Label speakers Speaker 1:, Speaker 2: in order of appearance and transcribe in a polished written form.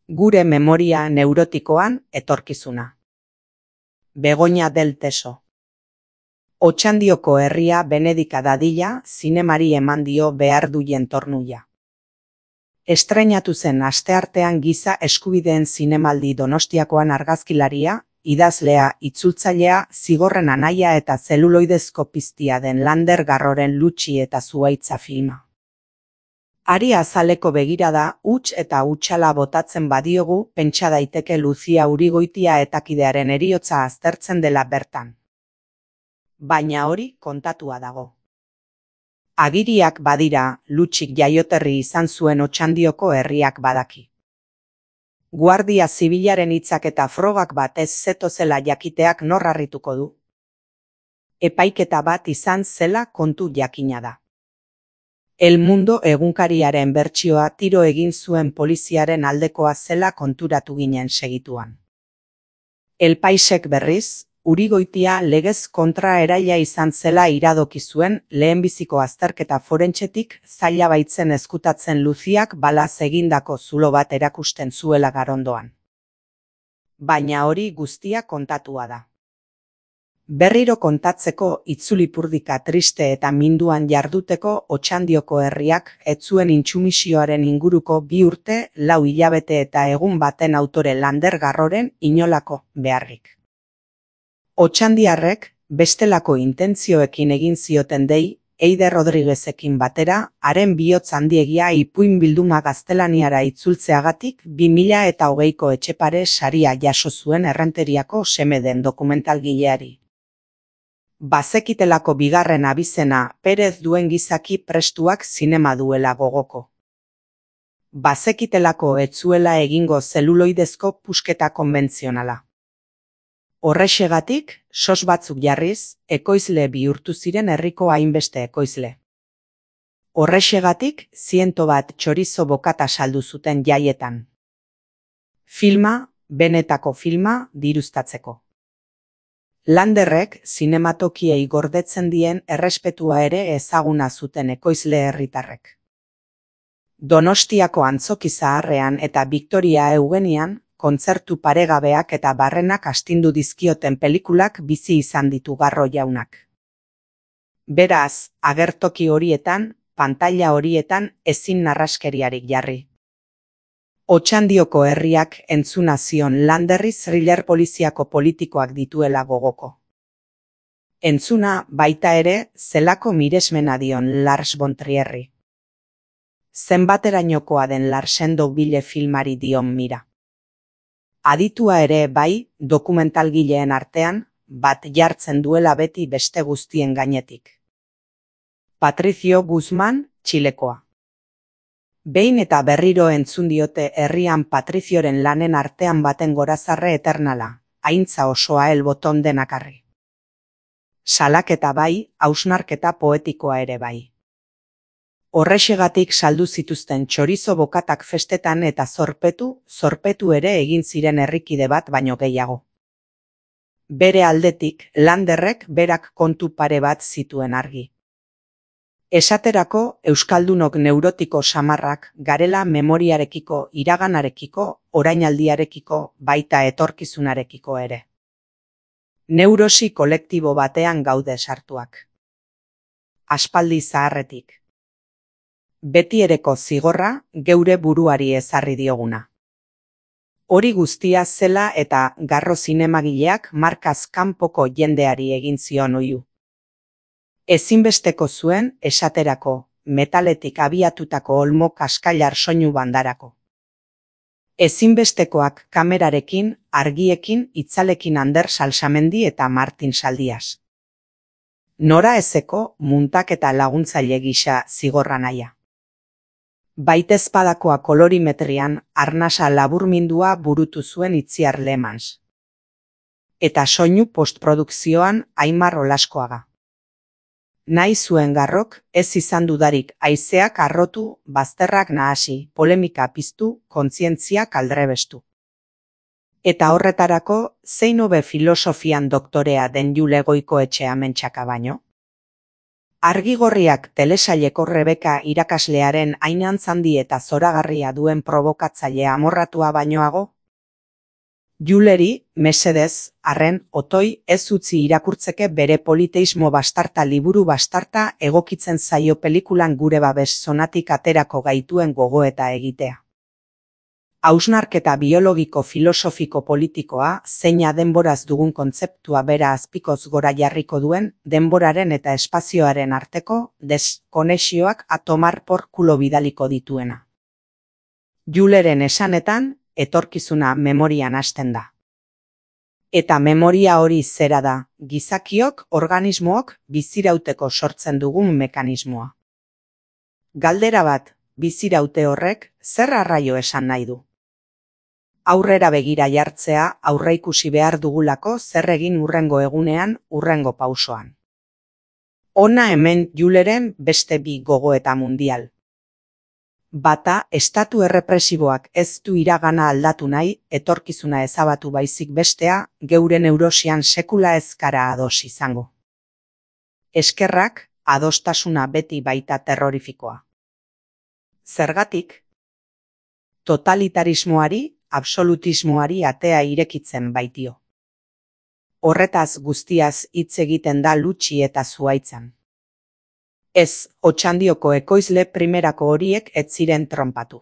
Speaker 1: Gure memoria neurotikoan etorkizuna. Begoña del Teso. Otxandioko herria Benedika dadila zinemari eman dio behar duien tornuia. Estreinatu zen asteartean Giza eskubideen zinemaldi Donostiakoan argazkilaria, idazlea, itzultzailea, zigorren anaia eta zeluloidezko piztia den Lander Garroren Lutxi eta Zuhaitza filma. Ari azaleko begirada, huts eta hutsala botatzen badiogu, pentsa daiteke Luzia Urigoitia etakidearen heriotza aztertzen dela bertan. Baina hori kontatua dago. Agiriak badira, Lutxik jaioterri izan zuen Otxandioko herriak badaki. Guardia zibilaren hitzak eta frogak batez zetozela jakiteak nor harrituko du. Epaiketa bat izan zela kontu jakina da. El Mundo egunkariaren bertsioa tiro egin zuen poliziaren aldekoa zela konturatu ginen segituan. El Paisek berriz, Urigoitia legez kontra eraila izan zela iradoki zuen lehenbiziko azterketa forentsetik zaila baitzen ezkutatzen Luziak balaz egindako zulo bat erakusten zuela Garondoan. Baina hori guztia kontatua da. Berriro kontatzeko itzulipurdika triste eta minduan jarduteko Otxandioko herriak ez zuen intsumisioaren inguruko 2 urte, 4 hilabete eta egun baten autore Lander Garroren inolako beharrik. Otxandiarrek bestelako intentzioekin egin zioten dei, Eider Rodriguezekin batera, haren bihotz handiegia ipuin bilduma gaztelaniara itzultzeagatik 2020ko Etxepare saria jaso zuen Errenteriako seme den dokumentalgileari. Bazekitelako bigarren abizena Perez duen gizaki prestuak zinema duela gogoko. Bazekitelako ez zuela egingo zeluloidezko pusketa konbentzionala. Horrexegatik, sos batzuk jarriz, ekoizle bihurtu ziren herriko hainbeste ekoizle. Horrexegatik, 101 txorizo bokata saldu zuten jaietan. Filma, benetako filma, diruztatzeko. Landerrek zinematokiei gordetzen dien errespetua ere ezaguna zuten ekoizle herritarrek. Donostiako Antzoki Zaharrean eta Victoria Eugenian, kontzertu paregabeak eta barrenak astindu dizkioten pelikulak bizi izan ditu Garro jaunak. Beraz, agertoki horietan, pantaila horietan ezin narraskeriarik jarri. Otxandioko herriak entzuna zion Landerri thriller poliziako politikoak dituela gogoko. Entzuna baita ere zelako miresmena dion Lars von Trierri. Zenbaterainokoa den Larsen Daubille filmari dion mira. Aditua ere bai, dokumentalgileen artean, bat jartzen duela beti beste guztien gainetik. Patricio Guzmán, Txilekoa. Behin eta berriro entzun diote herrian Patrizioren lanen artean baten gorazarre eternala, haintza osoa el boton denakarri. Salaketa bai, hausnarketa poetikoa ere bai. Horrexegatik saldu zituzten txorizo bokatak festetan eta zorpetu ere egin ziren herrikide bat baino gehiago. Bere aldetik, Landerrek berak kontu pare bat zituen argi. Esaterako, euskaldunok neurotiko samarrak garela memoriarekiko, iraganarekiko, orainaldiarekiko, baita etorkizunarekiko ere. Neurosi kolektibo batean gaude sartuak. Aspaldi zaharretik. Betiereko zigorra geure buruari ezarri dioguna. Hori guztia zela eta Garro zinemagileak markaz kanpoko jendeari egin zion oihu. Ezinbesteko zuen, esaterako, metaletik abiatutako olmo kaskailar soinu bandarako. Ezinbestekoak kamerarekin, argiekin, itzalekin Ander Salsamendi eta Martin Saldias. Nora ezeko muntak eta laguntzaile gisa zigorra naia. Baitezpadakoa kolorimetrian arnasa laburmindua burutu zuen Itziar Lemans. Eta soinu postprodukzioan Aimar Olaskoaga. Nahi zuen Garrok, ez izan dudarik haizeak arrotu, bazterrak nahasi, polemika piztu, kontzientziak aldrebestu. Eta horretarako, zein hobe filosofian doktorea den Jule Goikoetxea mentxaka baino? Argigorriak telesaileko Rebeka irakaslearen hain handi eta zoragarria duen probokatzaile amorratua bainoago? Juleri, mesedez, arren, otoi, ez utzi irakurtzeke bere politeismo bastarta liburu bastarta egokitzen zaio pelikulan gure babes zonatik aterako gaituen gogoeta egitea. Hausnarketa biologiko filosofiko politikoa, zeina denboraz dugun kontzeptua bera azpikoz gora jarriko duen, denboraren eta espazioaren arteko deskonexioak atomar porkulo bidaliko dituena. Juleren esanetan, etorkizuna memorian hasten da. Eta memoria hori zera da, gizakiok, organismook, bizirauteko sortzen dugun mekanismoa. Galdera bat, biziraute horrek, zer arraio esan nahi du? Aurrera begira jartzea aurreikusi behar dugulako zer egin hurrengo egunean, hurrengo pausoan. Hona hemen Juleren beste bi gogoeta mundial. Bata, estatu errepresiboak ez du iragana aldatu nahi, etorkizuna ezabatu baizik bestea, geure neurosian sekula ezkara ados izango. Eskerrak, adostasuna beti baita terrorifikoa. Zergatik? Totalitarismoari, absolutismoari atea irekitzen baitio. Horretaz guztiaz hitz egiten da Lutxi eta Zuhaitzan. Ez, Otxandioko ekoizle primerako horiek ez ziren tronpatu.